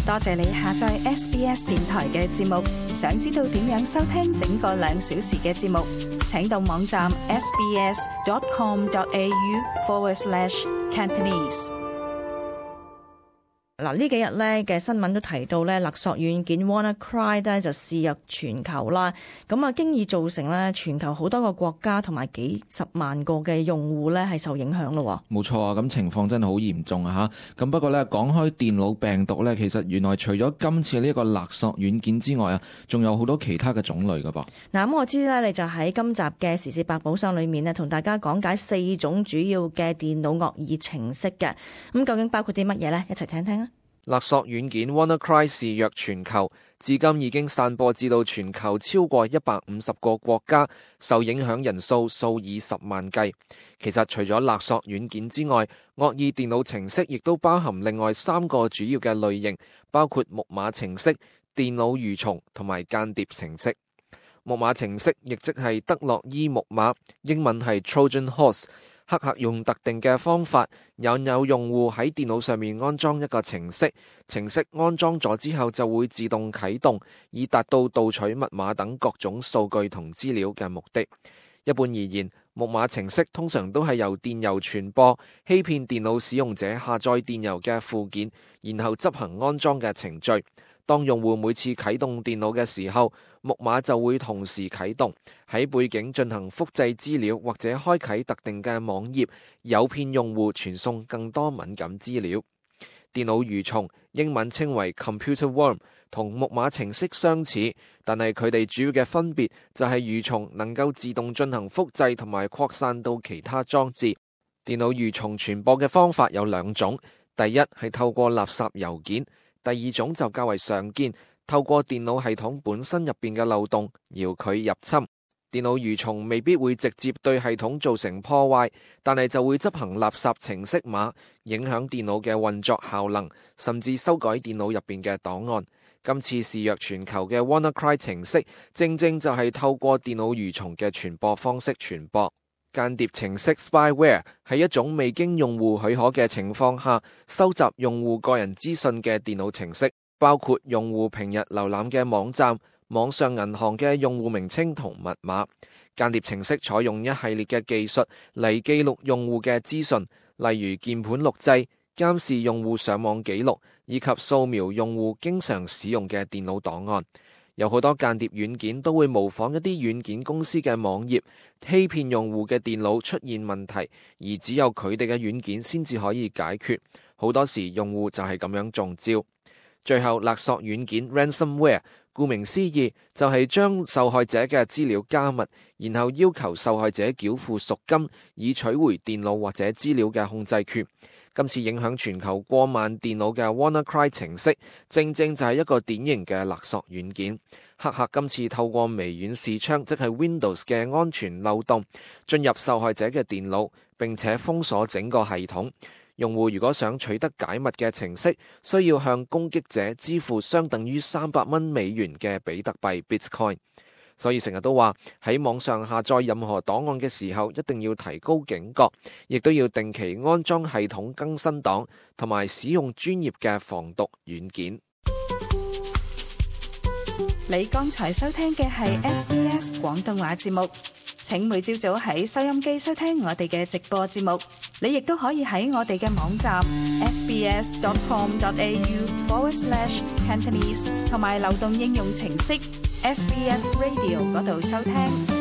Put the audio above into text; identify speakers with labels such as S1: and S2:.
S1: 多謝你下載 SBS 電台嘅節目。想知道點樣收聽整個2小時嘅節目，請到網站 sbs.com.au/Cantonese。
S2: 嗱，呢幾日咧嘅新聞都提到咧，勒索軟件 WannaCry 咧就肆虐全球啦。咁啊，經已造成咧全球好多個國家同埋幾十萬個嘅用戶咧係受影響咯。
S3: 冇錯啊，咁情況真係好嚴重啊嚇。咁不過咧，講開電腦病毒咧，其實原來除咗今次呢個勒索軟件之外啊，仲有好多其他嘅種類噶噃。
S2: 嗱，咁我知咧，你就喺今集嘅時事百寶箱裏面咧，同大家講解4種主要嘅電腦惡意程式嘅。咁究竟包括啲乜嘢呢？一齊聽聽啊！
S4: 勒索軟件 WannaCry 肆虐全球，至今已經散播至到全球超過150個國家，受影響人數數以10萬計。其實除咗勒索軟件之外，惡意電腦程式亦都包含另外3個主要嘅類型，包括木馬程式、電腦蠕蟲同埋間諜程式。木馬程式亦即係德洛伊木馬，英文係 Trojan Horse。黑客用特定嘅方法引誘用戶喺電腦上面安裝一個程式，程式安裝咗之後就會自動啟動，以達到盜取密碼等各種數據同資料嘅目的。一般而言，木馬程式通常都係由電郵傳播，欺騙電腦使用者下載電郵嘅附件，然後執行安裝嘅程序。當用戶每次啟動電腦嘅時候，木馬就會同時啟動，喺背景進行複製資料或者開啟特定嘅網頁，誘騙用戶傳送更多敏感資料。電腦蠕蟲，英文稱為 Computer Worm， 同木馬程式相似，但係佢哋主要嘅分別就係蠕蟲能夠自動進行複製同埋擴散到其他裝置。電腦蠕蟲傳播嘅方法有2種，第一係透過垃圾郵件，第2種就較為常見，透過電腦系統本身入邊嘅漏洞遙距入侵。電腦蠕蟲未必會直接對系統造成破壞，但係就會執行垃圾程式碼，影響電腦嘅運作效能，甚至修改電腦入邊嘅檔案。今次肆虐全球嘅 WannaCry 程式，正正就係透過電腦蠕蟲嘅傳播方式傳播。間諜程式 Spyware 係一種未經用戶許可嘅情況下，收集用戶個人資訊嘅電腦程式，包括用戶平日瀏覽嘅網站、網上銀行嘅用戶名稱同密碼。間諜程式採用一系列嘅技術嚟記錄用戶嘅資訊，例如鍵盤錄製、監視用戶上網記錄，以及掃描用戶經常使用嘅電腦檔案。有好多間諜軟件都會模仿一啲軟件公司嘅網頁，欺騙用戶嘅電腦出現問題，而只有佢哋嘅軟件先至可以解決。好多時用戶就係咁樣中招。最後，勒索軟件 Ransomware， 顧名思義就係將受害者嘅資料加密，然後要求受害者繳付贖金，以取回電腦或者資料嘅控制權。今次影響全球過萬電腦嘅 WannaCry 程式，正正就係一個典型嘅勒索軟件。黑客今次透過微軟視窗，即係 Windows 嘅安全漏洞，進入受害者嘅電腦，並且封鎖整個系統。用戶如果想取得解密嘅程式，需要向攻擊者支付相等於$300嘅比特幣 Bitcoin。所以成日都話喺網上下載任何檔案嘅時候，一定要提高警覺，亦都要定期安裝系統更新檔，同埋使用專業嘅防毒軟件。
S1: 你剛才收聽嘅係 SBS 廣東話節目。請每朝早喺收音機收聽我哋嘅直播節目。你亦都可以喺我哋嘅網站 sbs.com.au/Cantonese 同埋流動應用程式 SBS Radio 嗰度收聽。